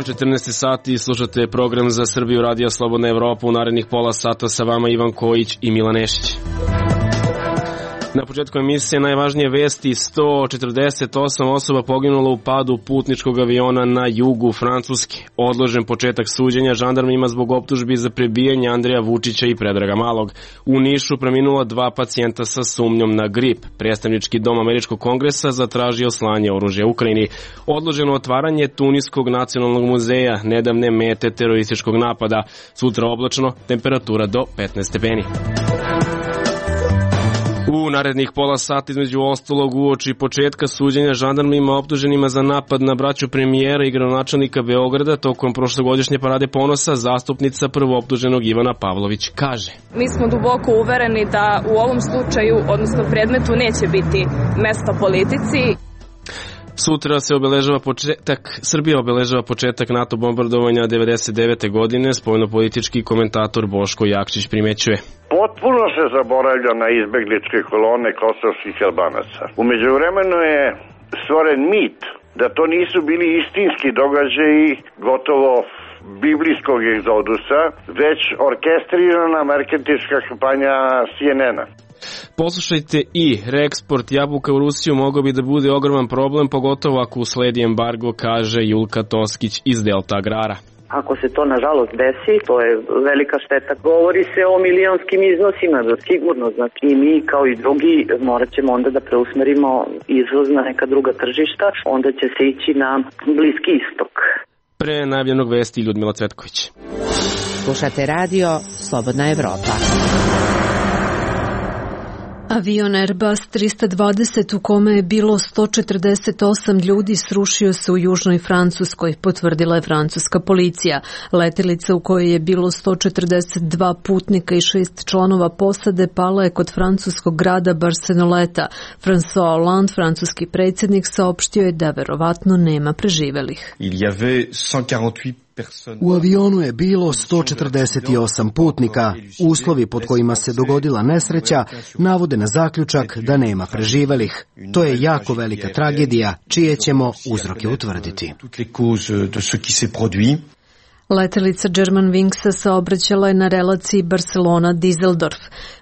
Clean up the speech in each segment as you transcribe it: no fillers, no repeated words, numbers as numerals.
dan, 14 sati, slušate program za Srbiju, Radio Slobodna Evropa. U narednih pola sata sa vama Ivan Kojić i Milan Nešić. Na početku emisije najvažnije vesti: 148 osoba poginulo u padu putničkog aviona na jugu Francuske. Odložen početak suđenja žandarmima zbog optužbi za prebijanje Andreja Vučića i Predraga Malog. U Nišu preminula 2 pacijenta sa sumnjom na grip. Predstavnički dom Američkog kongresa zatražio slanje oružja Ukrajini. Odloženo otvaranje Tuniskog nacionalnog muzeja, nedavne mete terorističkog napada. Sutra oblačno, temperatura do 15 stepeni. U narednih pola sata između ostalog uoči početka suđenja žandarmima optuženima za napad na braću premijera i gradonačelnika Beograda tokom prošlogodišnje parade ponosa, zastupnica prvooptuženog Ivana Pavlović kaže: Mi smo duboko uvereni da u ovom slučaju, odnosno predmetu, neće biti mesta politici. Sutra se Srbija obeležava početak NATO bombardovanja 1999. godine, spoljnopolitički komentator Boško Jakšić primećuje. Potpuno se zaboravlja na izbegličke kolone kosovskih Albanaca. U međuvremenu je stvoren mit da to nisu bili istinski događaji gotovo biblijskog egzodusa, već orkestrirana marketinška kampanja CNN-a. Poslušajte i reeksport jabuka u Rusiju mogao bi da bude ogroman problem, pogotovo ako usledi embargo, kaže Julka Toskić iz Delta Agrara. Ako se to nažalost desi, to je velika šteta. Govori se o milionskim iznosima, sigurno. Znači i mi kao i drugi morat ćemo onda da preusmerimo izvoz na neka druga tržišta, onda će se ići na Bliski istok. Pre najavljenog vesti Ljudmila Cvetković. Slušate radio Slobodna Evropa. Avion Airbus 320 u kome je bilo 148 ljudi srušio se u južnoj Francuskoj, potvrdila je francuska policija. Letelica u kojoj je bilo 142 putnika i 6 članova posade pala je kod francuskog grada Barceloneta. François Hollande, francuski predsjednik, saopštio je da verovatno nema preživelih. U avionu je bilo 148 putnika. Uslovi pod kojima se dogodila nesreća navode na zaključak da nema preživelih. To je jako velika tragedija, čije ćemo uzroke utvrditi. Letelica Germanwingsa saobraćala je na relaciji Barcelona-Dizeldorf.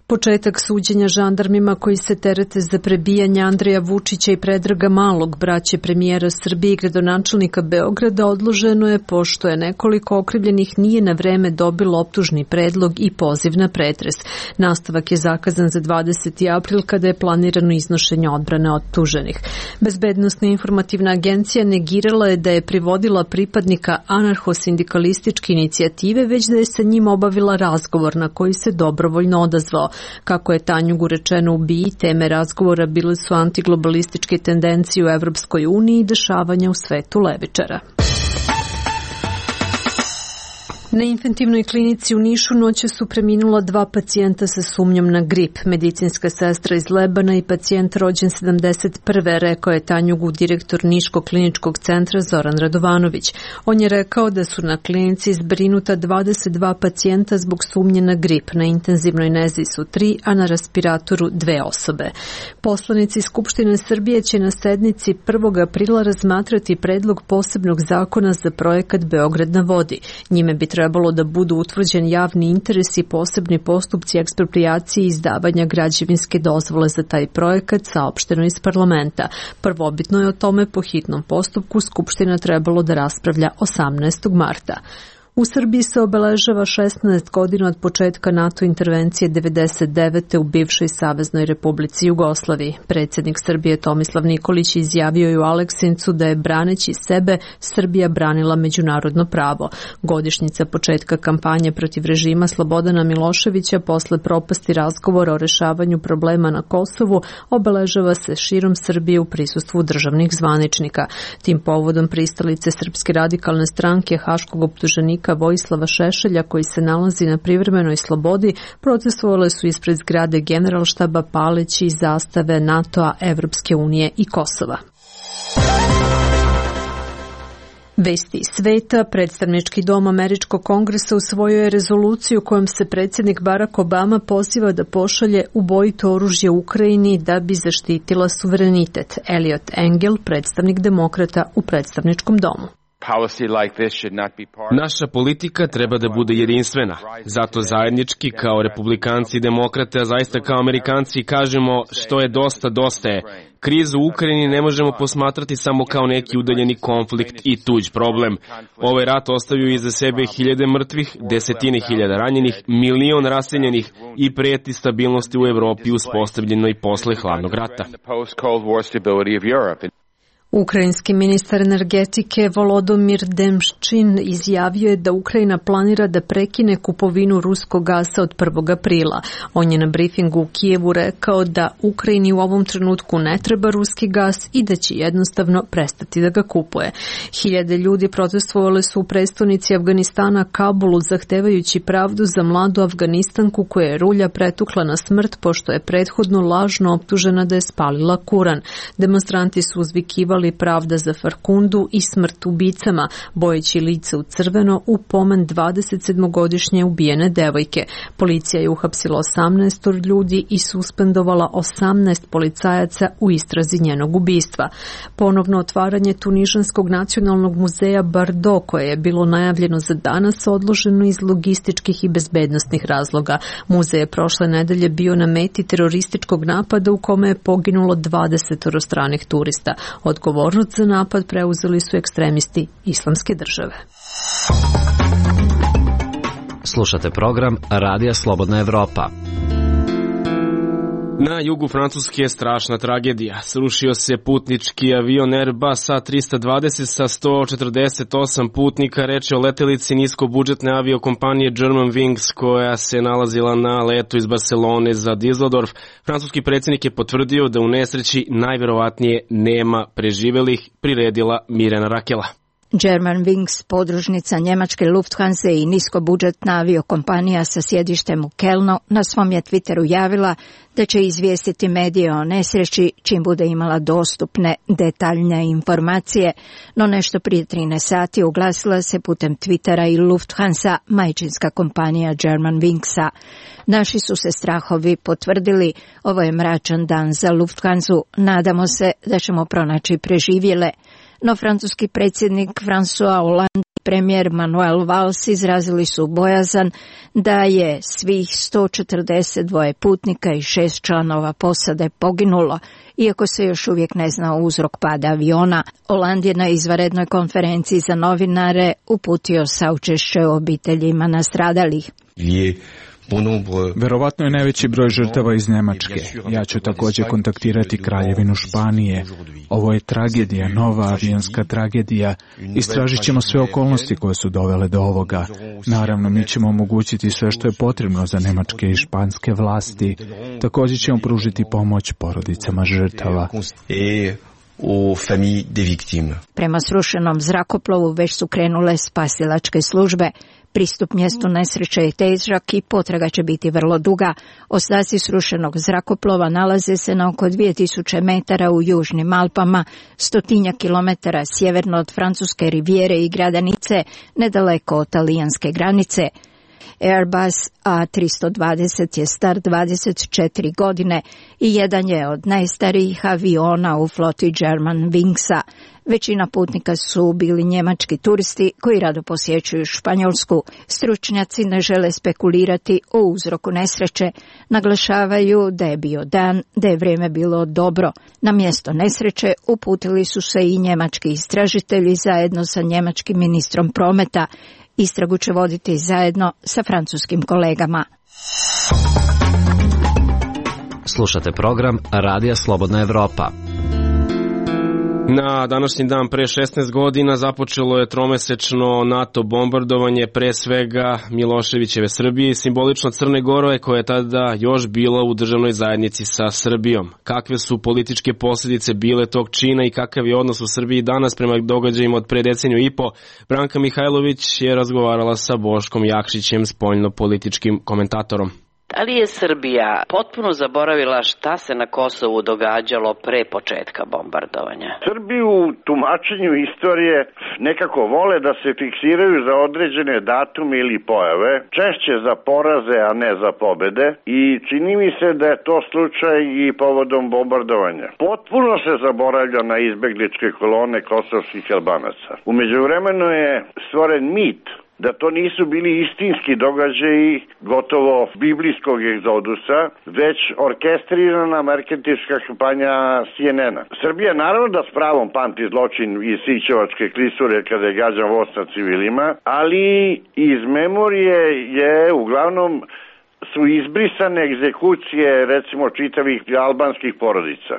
Početak suđenja žandarmima koji se terete za prebijanje Andreja Vučića i Predraga Malog, braće premijera Srbije i gradonačelnika Beograda, odloženo je pošto je nekoliko okrivljenih nije na vreme dobilo optužni predlog i poziv na pretres. Nastavak je zakazan za 20. april kada je planirano iznošenje odbrane optuženih. Bezbednosna informativna agencija negirala je da je privodila pripadnika anarcho-sindikalističke inicijative, već da je sa njim obavila razgovor na koji se dobrovoljno odazvao. Kako je Tanjugu rečeno u BIA, teme razgovora bile su antiglobalističke tendencije u Evropskoj uniji i dešavanja u svetu levičara. Na infektivnoj klinici u Nišu noćas su preminula 2 pacijenta sa sumnjom na grip. Medicinska sestra iz Lebana i pacijent rođen 71. rekao je Tanjugu direktor Niškog kliničkog centra Zoran Radovanović. On je rekao da su na klinici zbrinuta 22 pacijenta zbog sumnje na grip. Na intenzivnoj nezi su 3, a na respiratoru 2 osobe. Poslanici Skupštine Srbije će na sednici 1. aprila razmatrati predlog posebnog zakona za projekat Beograd na vodi. Njime bi trebalo da budu utvrđen javni interes i posebni postupci eksproprijacije i izdavanja građevinske dozvole za taj projekat, saopšteno iz parlamenta. Prvobitno je o tome po hitnom postupku Skupština trebalo da raspravlja 18. marta. U Srbiji se obeležava 16 godina od početka NATO intervencije 1999. u bivšoj Saveznoj Republici Jugoslaviji. Predsjednik Srbije Tomislav Nikolić izjavio je u Aleksincu da je braneći sebe Srbija branila međunarodno pravo. Godišnjica početka kampanje protiv režima Slobodana Miloševića posle propasti razgovora o rešavanju problema na Kosovu obeležava se širom Srbije u prisustvu državnih zvaničnika. Tim povodom pristalice Srpske radikalne stranke haškog optuženika Vojislava Šešelja, koji se nalazi na privremenoj slobodi, protestovale su ispred zgrade Generalštaba paleći zastave NATO-a, Evropske unije i Kosova. Vesti sveta. Predstavnički dom Američkog kongresa usvojio je rezoluciju kojom se predsjednik Barack Obama poziva da pošalje ubojito oružje Ukrajini da bi zaštitila suverenitet. Eliot Engel, predstavnik demokrata u predstavničkom domu. Naša politika treba da bude jedinstvena. Zato zajednički kao republikanci i demokrate, a zaista kao Amerikanci kažemo što je dosta, dosta je. Krizu u Ukrajini ne možemo posmatrati samo kao neki udaljeni konflikt i tuđ problem. Ovaj rat ostavio iza sebe hiljade mrtvih, desetine hiljada ranjenih, milion raseljenih i preti stabilnosti u Evropi uspostavljenoj posle hladnog rata. Ukrajinski ministar energetike Volodomir Demščin izjavio je da Ukrajina planira da prekine kupovinu ruskog gasa od 1. aprila. On je na brifingu u Kijevu rekao da Ukrajini u ovom trenutku ne treba ruski gas i da će jednostavno prestati da ga kupuje. Hiljade ljudi protestovali su u prestonici Afganistana Kabulu zahtevajući pravdu za mladu Afganistanku koja je rulja pretukla na smrt pošto je prethodno lažno optužena da je spalila Kuran. Demonstranti su uzvikivali pravda za Farkundu i smrt ubicama, bojeći lice u crveno u pomen 27-godišnje ubijene devojke. Policija je uhapsila 18 ljudi i suspendovala 18 policajaca u istrazi njenog ubistva. Ponovno otvaranje Tunižanskog nacionalnog muzeja Bardo, koje je bilo najavljeno za danas, odloženo iz logističkih i bezbednostnih razloga. Muzej je prošle nedelje bio na meti terorističkog napada u kome je poginulo 20 stranih turista. Odgovornost za napad preuzeli su ekstremisti Islamske države. Slušate program Radija Slobodna Evropa. Na jugu Francuske je strašna tragedija. Srušio se putnički avion Airbus A320 sa 148 putnika, reč je o letelici niskobudžetne aviokompanije Germanwings koja se nalazila na letu iz Barcelone za Düsseldorf. Francuski predsjednik je potvrdio da u nesreći najverovatnije nema preživelih, priredila Mirjana Rakela. Germanwings, podružnica njemačke Lufthansa i niskobudžetna aviokompanija sa sjedištem u Kelnu, na svom je Twitteru javila da će izvijestiti medije o nesreći čim bude imala dostupne detaljne informacije, no nešto prije 13 sati oglasila se putem Twittera i Lufthansa, majčinska kompanija Germanwingsa. Naši su se strahovi potvrdili, ovo je mračan dan za Lufthansu, nadamo se da ćemo pronaći preživjele. No francuski predsjednik François Hollande i premijer Manuel Valls izrazili su bojazan da je svih 142 putnika i 6 članova posade poginulo, iako se još uvijek ne zna uzrok pada aviona. Hollande je na izvanrednoj konferenciji za novinare uputio saučešće obiteljima nastradalih. Verovatno je najveći broj žrtava iz Njemačke. Ja ću također kontaktirati Kraljevinu Španije. Ovo je tragedija, nova avionska tragedija. Istražit ćemo sve okolnosti koje su dovele do ovoga. Naravno, mi ćemo omogućiti sve što je potrebno za njemačke i španske vlasti. Također ćemo pružiti pomoć porodicama žrtava. Prema srušenom zrakoplovu već su krenule spasilačke službe. Pristup mjestu nesreće je težak i potraga će biti vrlo duga. Ostaci srušenog zrakoplova nalaze se na oko 2000 metara u južnim Alpama, 100 kilometara sjeverno od francuske rivijere i grada Nice, nedaleko od talijanske granice. Airbus A320 je star 24 godine i jedan je od najstarijih aviona u floti Germanwingsa. Većina putnika su bili njemački turisti koji rado posjećuju Španjolsku. Stručnjaci ne žele spekulirati o uzroku nesreće. Naglašavaju da je bio dan, da je vrijeme bilo dobro. Na mjesto nesreće uputili su se i njemački istražitelji zajedno sa njemačkim ministrom prometa. Istragu će voditi zajedno sa francuskim kolegama. Slušate program Radija Slobodna Evropa. Na današnji dan pre 16 godina započelo je tromesečno NATO bombardovanje pre svega Miloševićeve Srbije i simbolično Crne Gore koja je tada još bila u državnoj zajednici sa Srbijom. Kakve su političke posljedice bile tog čina i kakav je odnos u Srbiji danas prema događajima od pre deceniju i po? Branka Mihajlović je razgovarala sa Boškom Jakšićem, spoljno-političkim komentatorom. Da li je Srbija potpuno zaboravila šta se na Kosovu događalo pre početka bombardovanja? Srbi u tumačenju istorije nekako vole da se fiksiraju za određene datume ili pojave, češće za poraze, a ne za pobede, i čini mi se da je to slučaj i povodom bombardovanja. Potpuno se zaboravlja na izbegličke kolone kosovskih Albanaca. U međuvremenu je stvoren mit da to nisu bili istinski događaji gotovo biblijskog egzodusa, već orkestrirana marketinška kampanja CNN-a. Srbija naravno da s pravom pamti zločin iz Sićevačke klisure kada je gađan voz na civilima, ali iz memorije je uglavnom su izbrisane egzekucije recimo čitavih albanskih porodica.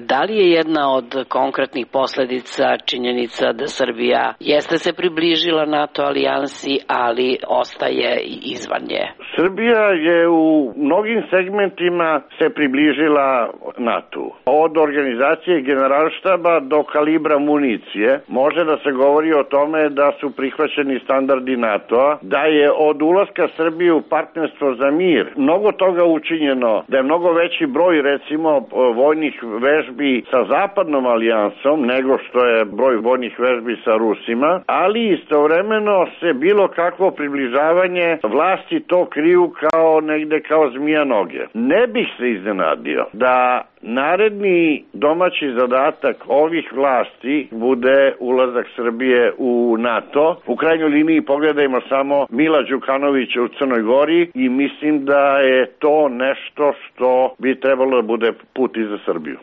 Da li je jedna od konkretnih posledica činjenica da Srbija jeste se približila NATO alijansi, ali ostaje izvan nje? Srbija je u mnogim segmentima se približila NATO. Od organizacije generalštaba do kalibra municije može da se govori o tome da su prihvaćeni standardi NATO-a, da je od ulaska Srbije u partnerstvo za mir mnogo toga učinjeno, da je mnogo veći broj recimo vojnih vežbi sa zapadnom alijansom nego što je broj vojnih vežbi sa Rusima, ali istovremeno se bilo kakvo približavanje vlasti to kriju kao negde kao zmija noge. Ne bih se iznenadio da naredni domaći zadatak ovih vlasti bude ulazak Srbije u NATO. U krajnjoj liniji pogledajmo samo Mila Đukanovića u Crnoj Gori i mislim da je to nešto što bi trebalo da bude put i za Srbiju.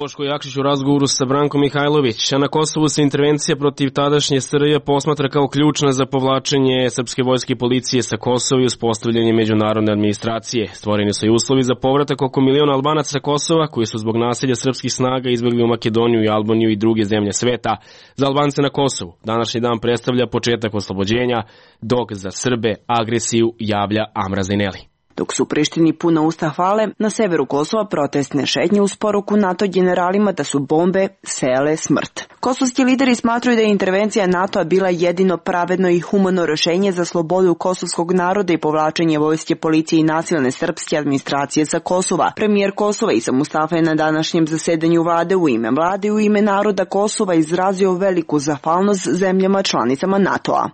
Boško Jakšić u razgovoru sa Brankom Mihajlović. A na Kosovu se intervencija protiv tadašnje SRJ posmatra kao ključna za povlačenje srpske vojske i policije sa Kosova i uspostavljanje međunarodne administracije. Stvoreni su i uslovi za povratak oko 1 miliona Albanaca sa Kosova, koji su zbog nasilja srpskih snaga izbegli u Makedoniju i Albaniju i druge zemlje sveta. Za Albance na Kosovu današnji dan predstavlja početak oslobođenja, dok za Srbe agresiju javlja Amra Zaineli. Dok su Prištini puna usta hvale, na severu Kosova protestne šetnje uz poruku NATO generalima da su bombe sejale smrt. Kosovski lideri smatraju da je intervencija NATO-a bila jedino pravedno i humano rešenje za slobodu kosovskog naroda i povlačenje vojske, policije i nasilne srpske administracije sa Kosova. Premijer Kosova Isa Mustafa je na današnjem zasedanju vlade u ime vlade i u ime naroda Kosova izrazio veliku zahvalnost zemljama članicama NATO-a.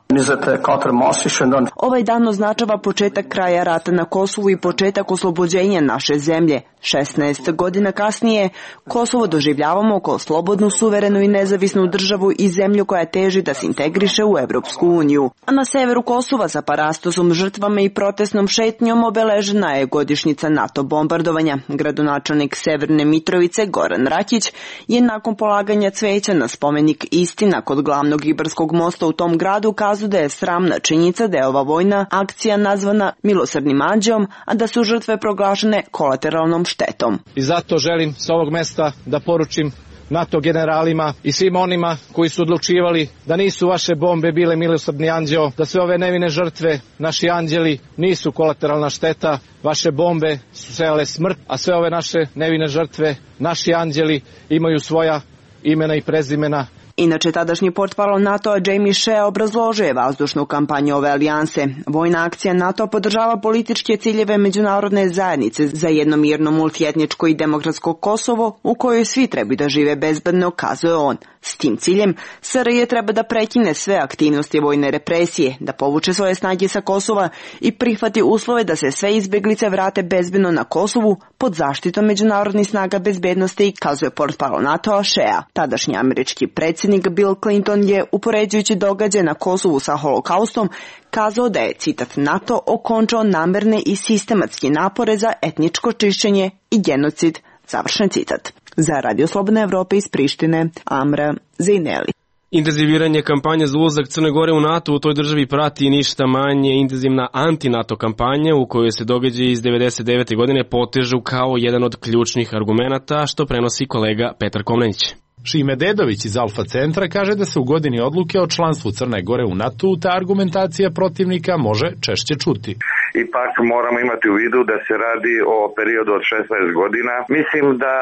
Ovaj dan označava početak kraja rata na Kosovu i početak oslobođenja naše zemlje. 16 godina kasnije Kosovo doživljavamo kao slobodnu, suverenu i nezavisnu državu i zemlju koja teži da se integriše u Evropsku uniju. A na severu Kosova sa parastosom, žrtvama i protestnom šetnjom obeležena je godišnjica NATO bombardovanja. Gradonačelnik Severne Mitrovice Goran Rakić je nakon polaganja cveća na spomenik Istina kod glavnog Ibarskog mosta u tom gradu kazao da je sramna činjenica da je ova vojna akcija nazvana milosrdnim anđeom, a da su žrtve proglašene kolateralnom štetom. I zato želim s ovog mesta da poručim NATO generalima i svim onima koji su odlučivali da nisu vaše bombe bile milosrdni anđeo, da sve ove nevine žrtve, naši anđeli, nisu kolateralna šteta, vaše bombe su sejale smrt, a sve ove naše nevine žrtve, naši anđeli, imaju svoja imena i prezimena. Inače, tadašnji portparol NATO-a Jamie Shea obrazložio je vazdušnu kampanju ove alijanse. Vojna akcija NATO podržava političke ciljeve međunarodne zajednice za jedno mirno, multietničko i demokratsko Kosovo u kojoj svi trebaju da žive bezbedno, kazuje on. S tim ciljem, SRJ treba da prekine sve aktivnosti vojne represije, da povuče svoje snage sa Kosova i prihvati uslove da se sve izbeglice vrate bezbedno na Kosovu pod zaštitom međunarodnih snaga bezbednosti, kazuje portparol NATO-a Shea. Tadašnji američki predsjednik Bill Clinton je, upoređujući događaje na Kosovu sa holokaustom, kazao da je, citat, NATO okončao namerne i sistematske napore za etničko čišćenje i genocid, završen citat. Za Radio Slobodna Evropa iz Prištine, Amra Zaineli. Intenziviranje kampanje za ulazak Crne Gore u NATO u toj državi prati ništa manje intenzivna anti-NATO kampanja u kojoj se događaji iz 99. godine potežu kao jedan od ključnih argumenata, što prenosi kolega Petar Komnenić. Šime Dedović iz Alfa centra kaže da se u godini odluke o članstvu Crne Gore u NATO ta argumentacija protivnika može češće čuti. ipak moramo imati u vidu da se radi o periodu od 16 godina. Mislim da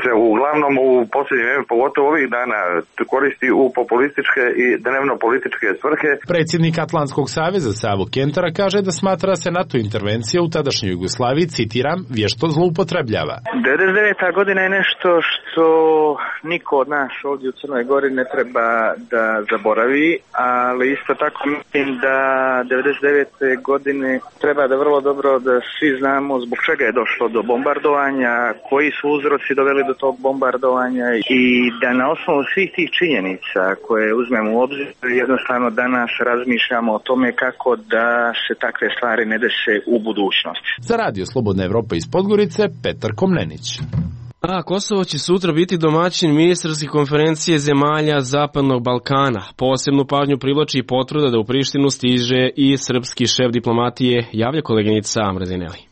se uglavnom u posljednje vreme, pogotovo ovih dana, koristi u populističke i dnevno-političke svrhe. Predsjednik Atlantskog saveza Savo Kentara kaže da smatra se NATO intervencija u tadašnjoj Jugoslaviji, citiram, vješto zloupotrebljava. 99. godina je nešto što niko od nas ovdje u Crnoj Gori ne treba da zaboravi, ali isto tako mislim da 99. godine treba da vrlo dobro da svi znamo zbog čega je došlo do bombardovanja, koji su uzroci doveli do tog bombardovanja i da na osnovu svih tih činjenica koje uzmemo u obzir jednostavno danas razmišljamo o tome kako da se takve stvari ne dese u budućnosti. Za Radio Slobodna Evropa iz Podgorice, Petar Komnenić. A Kosovo će sutra biti domaćin ministarske konferencije zemalja Zapadnog Balkana. Posebnu pažnju privlači i potvrda da u Prištinu stiže i srpski šef diplomatije, javlja koleginica Amra Zineli.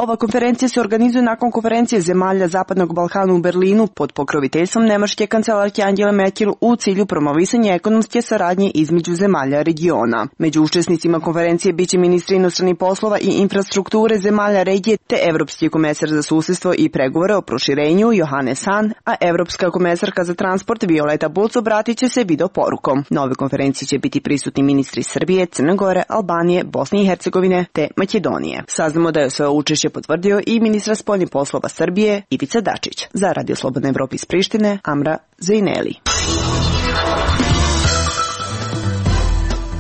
Ova konferencija se organizuje nakon konferencije zemalja Zapadnog Balkana u Berlinu pod pokroviteljstvom nemačke kancelarke Angele Merkel u cilju promovisanja ekonomske saradnje između zemalja regiona. Među učesnicima konferencije biće ministri inostranih poslova i infrastrukture zemalja regije te evropski komesar za susedstvo i pregovore o proširenju Johannes Hahn, a evropska komesarka za transport Violeta Bulc obratit će se video porukom. Na ove konferencije će biti prisutni ministri Srbije, Crne Gore, Albanije, Bosne i Hercegovine te Makedonije. Saznamo da je sve učešće potvrdio i ministra spoljnih poslova Srbije Ivica Dačić. Za Radio Slobodna Evropa iz Prištine, Amra Zineli.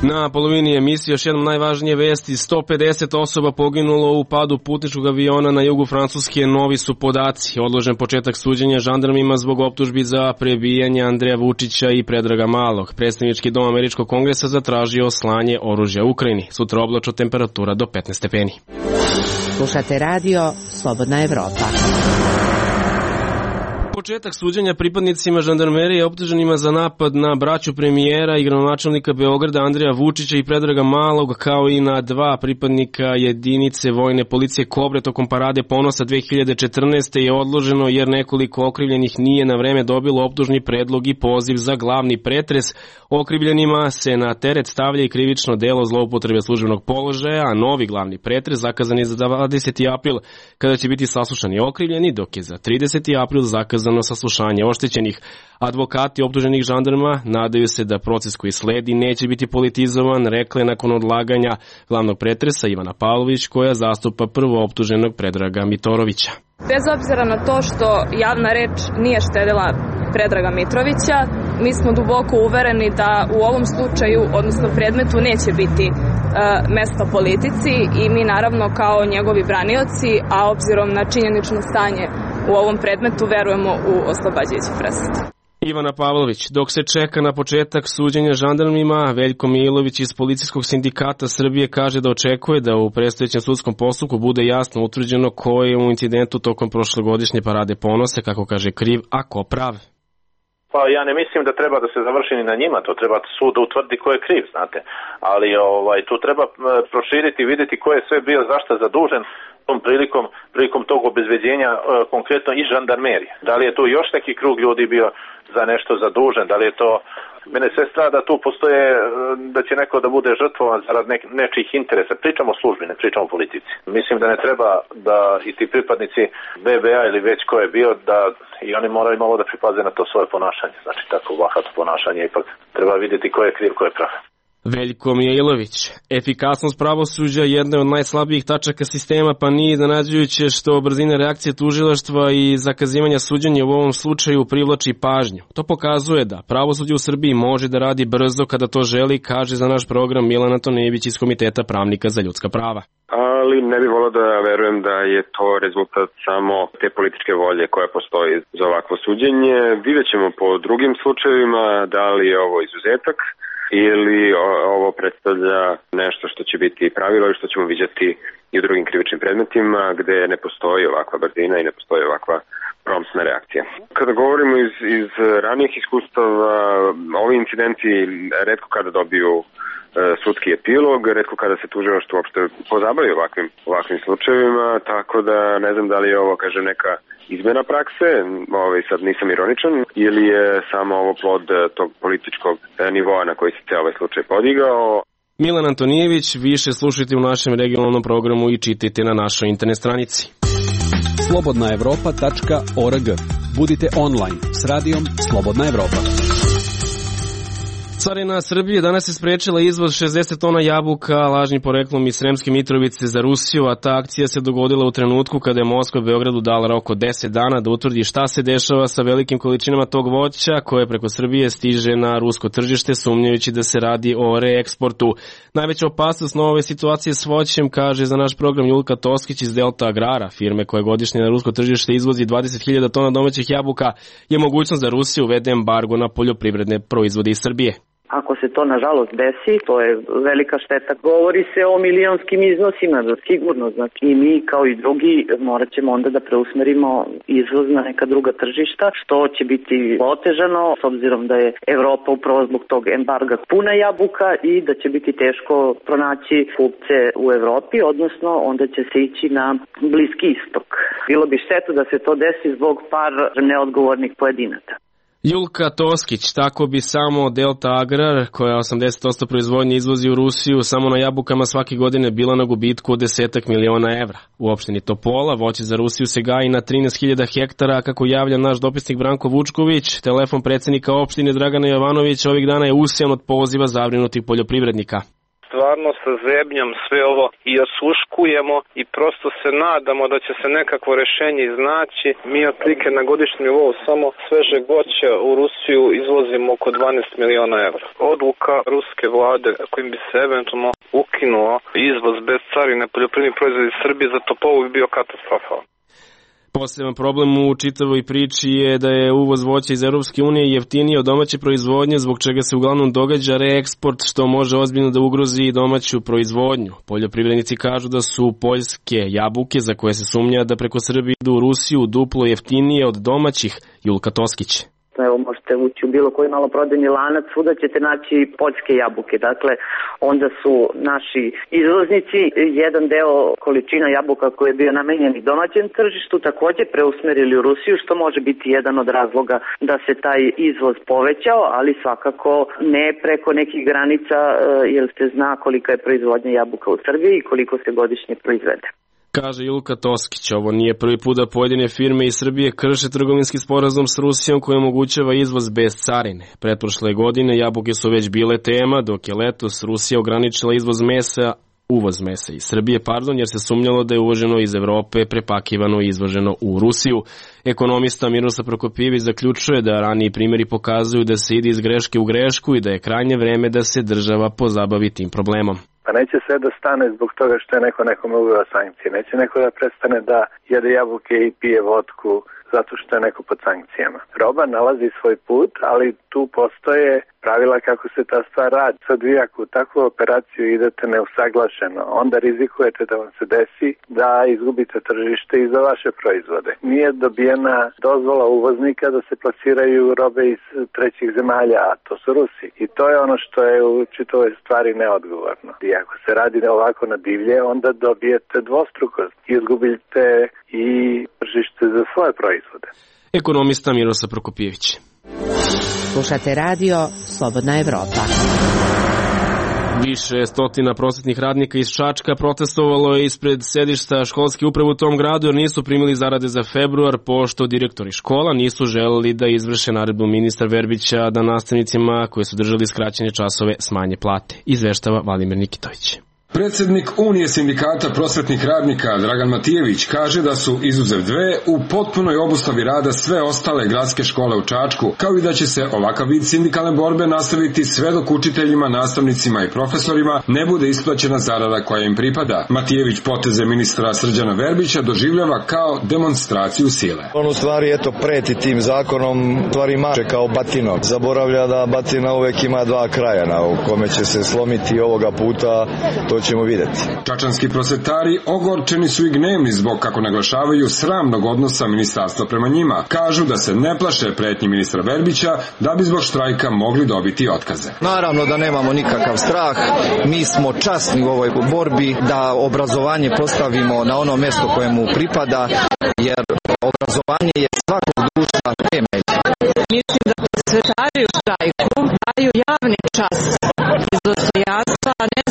Na polovini emisije još jednom najvažnije vesti. 150 osoba poginulo u padu putničkog aviona na jugu Francuske. Novi su podaci. Odložen početak suđenja žandarmima zbog optužbi za prebijanje Andreja Vučića i Predraga Malog. Predstavnički dom Američkog kongresa zatražio slanje oružja Ukrajini. Sutra oblačno, temperatura do 15 stepeni. Slušate radio Slobodna Evropa. Početak suđenja pripadnicima žandarmerije optuženima za napad na braću premijera i gradonačelnika Beograda Andreja Vučića i Predraga Malog, kao i na dva pripadnika jedinice vojne policije Kobre tokom parade ponosa 2014. je odloženo jer nekoliko okrivljenih nije na vreme dobilo optužni predlog i poziv za glavni pretres. Okrivljenima se na teret stavlja i krivično delo zloupotrebe službenog položaja, a novi glavni pretres zakazan je za 20. april, kada će biti saslušani okrivljeni, dok je za 30. april zakazan saslušanje oštećenih. Advokati optuženih žandarma nadaju se da proces koji sledi neće biti politizovan, rekla je nakon odlaganja glavnog pretresa Ivana Pavlović, koja zastupa prvo optuženog Predraga Mitorovića. Bez obzira na to što javna reč nije štedila Predraga Mitrovića, mi smo duboko uvereni da u ovom slučaju, odnosno predmetu, neće biti mesta politici i mi naravno kao njegovi branioci, a obzirom na činjenično stanje u ovom predmetu, verujemo u oslobađajuću presudu. Ivana Pavlović. Dok se čeka na početak suđenja žandarmima, Veljko Milović iz Policijskog sindikata Srbije kaže da očekuje da u predstojećem sudskom postupku bude jasno utvrđeno ko je u incidentu tokom prošlogodišnje parade ponosa, kako kaže, kriv, a ko prav. Pa ja ne mislim da treba da se završi ni na njima, to treba sud da utvrdi ko je kriv, znate. Ali tu treba proširiti i vidjeti ko je sve bio zašto zadužen tom prilikom tog obezbeđenja, konkretno i žandarmerije. Da li je tu još neki krug ljudi bio za nešto zadužen, da li je to... Mene sve strada da tu postoje, da će neko da bude žrtvovan zarad nečijih interesa. Pričamo o službi, ne pričamo o politici. Mislim da ne treba da i ti pripadnici BBA ili već ko je bio, da i oni moraju malo da pripaze na to svoje ponašanje. Znači tako bahato ponašanje, ipak treba vidjeti ko je kriv, ko je prav. Veljko Mijailović. Efikasnost pravosuđa je jedna od najslabijih tačaka sistema, pa nije iznenađujuće što brzina reakcije tužilaštva i zakazivanja suđenja u ovom slučaju privlači pažnju. To pokazuje da pravosuđe u Srbiji može da radi brzo kada to želi, kaže za naš program Milan Antonijević iz Komiteta pravnika za ljudska prava. Ali ne bih volio da verujem da je to rezultat samo te političke volje koja postoji za ovakvo suđenje. Vidjet ćemo po drugim slučajevima da li je ovo izuzetak ili ovo predstavlja nešto što će biti pravilo i što ćemo vidjeti i u drugim krivičnim predmetima gde ne postoji ovakva brzina i ne postoji ovakva promptna reakcija. Kada govorimo iz ranijih iskustava, ovi incidenti retko kada dobiju sudski epilog, retko kada se tužilaštvo uopšte pozabavi ovakvim slučajevima, tako da ne znam da li je ovo, kaže, neka izmena prakse, sad nisam ironičan, ili je samo ovo plod tog političkog nivoa na koji se cijel ovaj slučaj podigao. Milan Antonijević, više slušajte u našem regionalnom programu i čitajte na našoj internet stranici. slobodnaevropa.org. Budite online s radijom Slobodna Evropa. Carina Srbije danas je sprečila izvoz 60 tona jabuka lažnim poreklom iz Sremske Mitrovice za Rusiju, a ta akcija se dogodila u trenutku kada je Moskva Beogradu dala rok od 10 dana da utvrdi šta se dešava sa velikim količinama tog voća koje preko Srbije stiže na rusko tržište, sumnjajući da se radi o reeksportu. Najveća opasnost na ove situacije s voćem, kaže za naš program Julka Toskić iz Delta Agrara, firme koja godišnje na rusko tržište izvozi 20.000 tona domaćih jabuka, je mogućnost da Rusija uvede embargo na poljoprivredne proizvode iz Srbije. Ako se to nažalost desi, to je velika šteta. Govori se o milionskim iznosima, sigurno. Znači i mi kao i drugi morat ćemo onda da preusmerimo izvoz na neka druga tržišta, što će biti otežano s obzirom da je Evropa upravo zbog tog embarga puna jabuka i da će biti teško pronaći kupce u Evropi, odnosno onda će se ići na Bliski istok. Bilo bi šteta da se to desi zbog par neodgovornih pojedinaca. Julka Toskić, tako bi samo Delta Agrar, koja 80% proizvodnje izvozi u Rusiju, samo na jabukama svake godine bila na gubitku od 10 miliona evra. U opštini Topola voće za Rusiju se gaji na 13.000 hektara, kako javlja naš dopisnik Branko Vučković. Telefon predsjednika opštine Dragana Jovanovića ovih dana je usijan od poziva zabrinutih poljoprivrednika. Stvarno sa zebnjom sve ovo i osluškujemo i prosto se nadamo da će se nekakvo rešenje iznaći. Mi otprilike na godišnjem nivou samo svežeg voća u Rusiju izvozimo oko 12 miliona evra. Odluka ruske vlade kojim bi se eventualno ukinuo izvoz bez carine poljoprivrednih proizvoda iz Srbije za Topolu bi bio katastrofalan. Poseban problem u čitavoj priči je da je uvoz voća iz Europske unije jeftiniji od domaće proizvodnje, zbog čega se uglavnom događa reeksport, što može ozbiljno da ugrozi i domaću proizvodnju. Poljoprivrednici kažu da su poljske jabuke, za koje se sumnja da preko Srbije idu u Rusiju, duplo jeftinije od domaćih. Julka Toskić. Evo, možete ući u bilo koji maloprodajni lanac, svuda ćete naći poljske jabuke. Dakle, onda su naši izvoznici jedan deo količina jabuka koji je bio namenjen domaćem tržištu takođe preusmerili u Rusiju, što može biti jedan od razloga da se taj izvoz povećao, ali svakako ne preko nekih granica, jer se zna kolika je proizvodnja jabuka u Srbiji i koliko se godišnje proizvede. Kaže Julka Toskić, ovo nije prvi put da pojedine firme iz Srbije krše trgovinski sporazum s Rusijom koji omogućava izvoz bez carine. Pretprošle godine jabuke su već bile tema, dok je letos Rusija ograničila uvoz mesa iz Srbije, jer se sumnjalo da je uvoženo iz Evrope, prepakivano i izvoženo u Rusiju. Ekonomista Miroslav Prokopijević zaključuje da raniji primjeri pokazuju da se ide iz greške u grešku i da je krajnje vreme da se država pozabavi tim problemom. Pa neće sve da stane zbog toga što je nekome uveo sankcije. Neće neko da prestane da jede jabuke i pije vodku zato što je neko pod sankcijama. Roba nalazi svoj put, ali tu postoje pravila kako se ta stvar radi. Sad vi ako u takvu operaciju idete neusaglašeno, onda rizikujete da vam se desi da izgubite tržište i za vaše proizvode. Nije dobijena dozvola uvoznika da se plasiraju robe iz trećih zemalja, a to su Rusi. I to je ono što je u čitavoj stvari neodgovorno. I ako se radi ovako na divlje, onda dobijete dvostrukost. Izgubite i tržište za svoje proizvode. Ekonomista Miroslav Prokopijević. Slušate radio Slobodna Evropa. Više stotina prosvetnih radnika iz Čačka protestovalo je ispred sedišta školske uprave u tom gradu jer nisu primili zarade za februar, pošto direktori škola nisu želeli da izvrše naredbu ministra Verbića da nastavnicima koji su držali skraćene časove smanje plate. Izveštava Vladimir Nikitović. Predsednik Unije sindikata prosvetnih radnika Dragan Matijević kaže da su izuzev dve u potpunoj obustavi rada sve ostale gradske škole u Čačku, kao i da će se ovakav vid sindikalne borbe nastaviti sve dok učiteljima, nastavnicima i profesorima ne bude isplaćena zarada koja im pripada. Matijević poteze ministra Srđana Verbića doživljava kao demonstraciju sile. On u stvari preti tim zakonom, stvari mače kao batinom. Zaboravlja da batina uvek ima dva kraja u kome će se slomiti ovoga puta, to ćemo vidjeti. Čačanski prosvetari ogorčeni su i gnevni zbog, kako naglašavaju, sramnog odnosa ministarstva prema njima. Kažu da se ne plaše pretnji ministra Verbića da bi zbog štrajka mogli dobiti otkaze. Naravno da nemamo nikakav strah. Mi smo časni u ovoj borbi da obrazovanje postavimo na ono mjesto koje mu pripada, jer obrazovanje je svakog društva temelj. Mislim da prosvetari u štrajku daju javni čas iz dostojanstva, a ne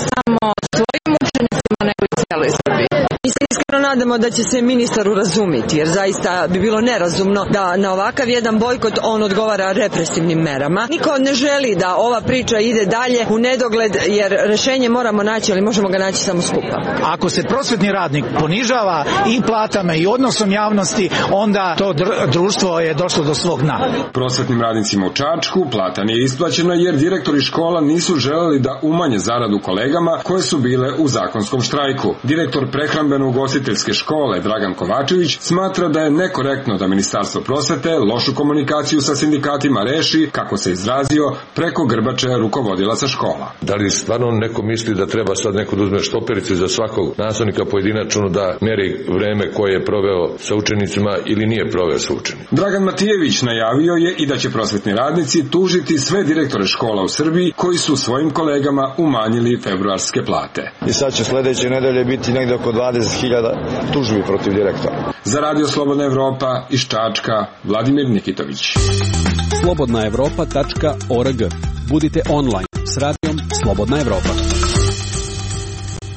celoj Srbiji. Mi se iskreno nadamo da će se ministar urazumiti, jer zaista bi bilo nerazumno da na ovakav jedan bojkot on odgovara represivnim merama. Niko ne želi da ova priča ide dalje u nedogled, jer rešenje moramo naći, ali možemo ga naći samo skupa. Ako se prosvetni radnik ponižava i platama i odnosom javnosti, onda to društvo je došlo do svog dna. Prosvetnim radnicima u Čačku plata nije isplaćena jer direktori škola nisu želeli da umanje zaradu kolegama koje su bile u zakonskom štrajku. Direktor prehrambeno-ugostiteljske škole Dragan Kovačević smatra da je nekorektno da Ministarstvo prosvete lošu komunikaciju sa sindikatima reši, kako se izrazio, preko grbače rukovodilaca škola. Da li stvarno neko misli da treba sad neko da uzme štoperice za svakog nastavnika pojedinačno da meri vreme koje je proveo sa učenicima ili nije proveo sa učenicima? Dragan Matijević najavio je i da će prosvetni radnici tužiti sve direktore škola u Srbiji koji su svojim kolegama umanjili februarske plate. I sad će sledeće nedelje biti negde oko 20.000 tužbi protiv direktora. Za Radio Slobodna Evropa iz Čačka, Vladimir Nikitović. slobodnaevropa.org. Budite online s radijom Slobodna Evropa.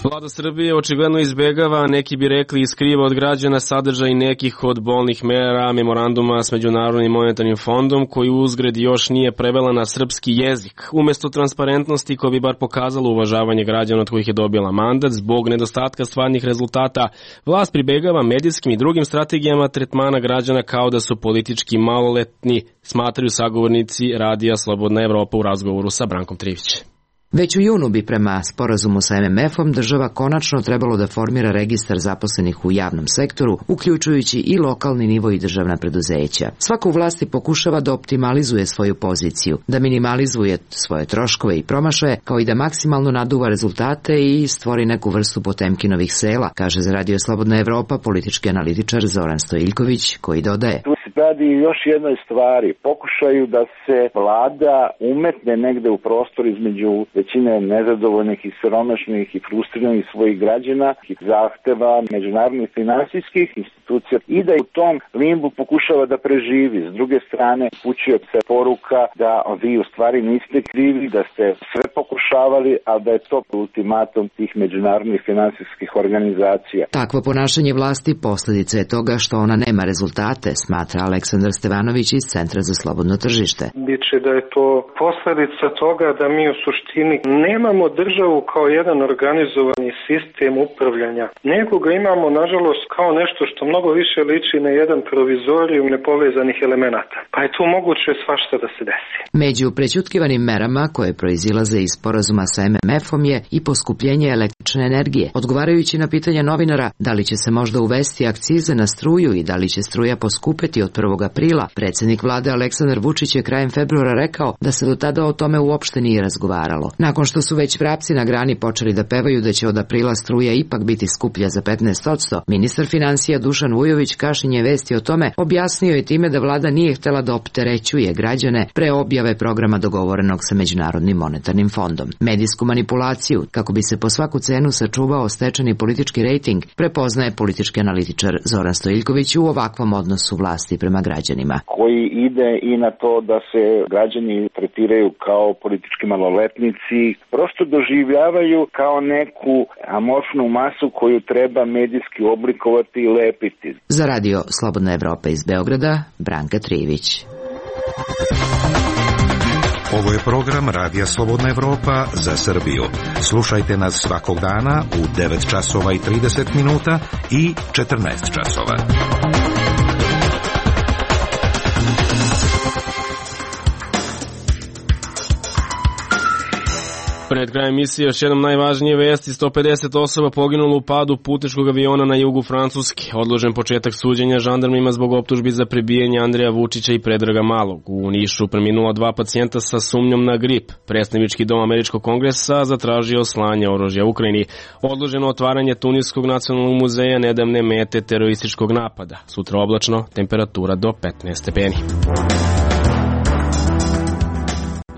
Vlada Srbije očigledno izbegava, neki bi rekli skriva od građana sadržaj nekih od bolnih mera memoranduma s Međunarodnim monetarnim fondom koji uzgred još nije prevela na srpski jezik. Umesto transparentnosti koja bi bar pokazala uvažavanje građana od kojih je dobila mandat, zbog nedostatka stvarnih rezultata, vlast pribegava medijskim i drugim strategijama tretmana građana kao da su politički maloletni, smatraju sagovornici Radija Slobodna Evropa u razgovoru sa Brankom Trivićem. Već u junu bi prema sporazumu sa MMF-om država konačno trebalo da formira registar zaposlenih u javnom sektoru, uključujući i lokalni nivo i državna preduzeća. Svako u vlasti pokušava da optimalizuje svoju poziciju, da minimalizuje svoje troškove i promašaje, kao i da maksimalno naduva rezultate i stvori neku vrstu Potemkinovih sela, kaže za Radio Slobodna Evropa politički analitičar Zoran Stojiljković, koji dodaje: radi još jednoj stvari, pokušaju da se vlada umetne negde u prostor između većine nezadovoljnih i siromašnih i frustriranih svojih građana i zahteva međunarodnih finansijskih institucija i da u tom limbu pokušava da preživi. S druge strane, upućuje se poruka da vi u stvari niste krivi, da ste sve pokušavali, a da je to ultimatum tih međunarodnih finansijskih organizacija. Takvo ponašanje vlasti posljedica je toga što ona nema rezultate, smatra Aleksandar Stevanović iz Centra za slobodno tržište. Biće da je to posljedica toga da mi u suštini nemamo državu kao jedan organizovani sistem upravljanja, nego ga imamo nažalost kao nešto što mnogo više liči na jedan provizorijum nepovezanih elemenata. Pa je tu moguće svašta da se desi. Među prećutkivanim merama koje proizilaze iz sporazuma sa MMF-om je i poskupljenje električne energije. Odgovarajući na pitanja novinara da li će se možda uvesti akcize na struju i da li će struja poskupeti od 1. aprila, predsjednik vlade Aleksandar Vučić je krajem februara rekao da se do tada o tome uopšte nije razgovaralo. Nakon što su već vrapci na grani počeli da pevaju da će od aprila struja ipak biti skuplja za 15%, ministar finansija Dušan Vujović kašinje vesti o tome objasnio je time da vlada nije htela da opterećuje građane pre objave programa dogovorenog sa Međunarodnim monetarnim fondom. Medijsku manipulaciju, kako bi se po svaku cenu sačuvao stečeni politički rejting, prepoznaje politički analitičar Zoran Stojiljković u ovakvom odnosu vlasti prema građanima. Koji ide i na to da se građani tretiraju kao politički maloletnici, prosto doživljavaju kao neku amorfnu masu koju treba medijski oblikovati i lepiti. Za Radio Slobodna Evropa iz Beograda, Branka Trivić. Ovo je program Radija Slobodna Evropa za Srbiju. Slušajte nas svakog dana u 9 časova i 30 minuta i 14 časova. Pred krajem emisije još jednom najvažnije vesti: 150 osoba poginulo u padu putničkog aviona na jugu Francuske. Odložen početak suđenja žandarmima zbog optužbi za prebijanje Andreja Vučića i Predraga Malog. U Nišu preminula 2 pacijenta sa sumnjom na grip. Predstavnički dom Američkog kongresa zatražio slanje oružja Ukrajini. Odloženo otvaranje Tuniskog nacionalnog muzeja, nedavne mete terorističkog napada. Sutra oblačno, temperatura do 15 stepeni.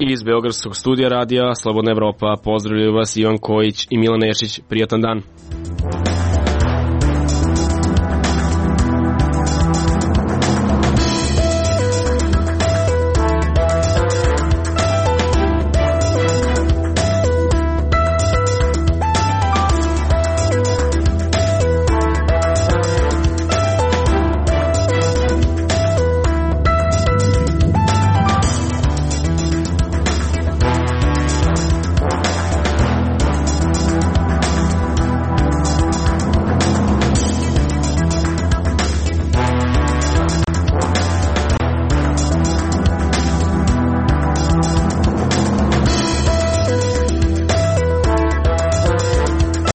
Iz Beogradskog studija Radija Slobodna Evropa pozdravljaju vas Ivan Kojić i Milan Nešić. Prijatan dan.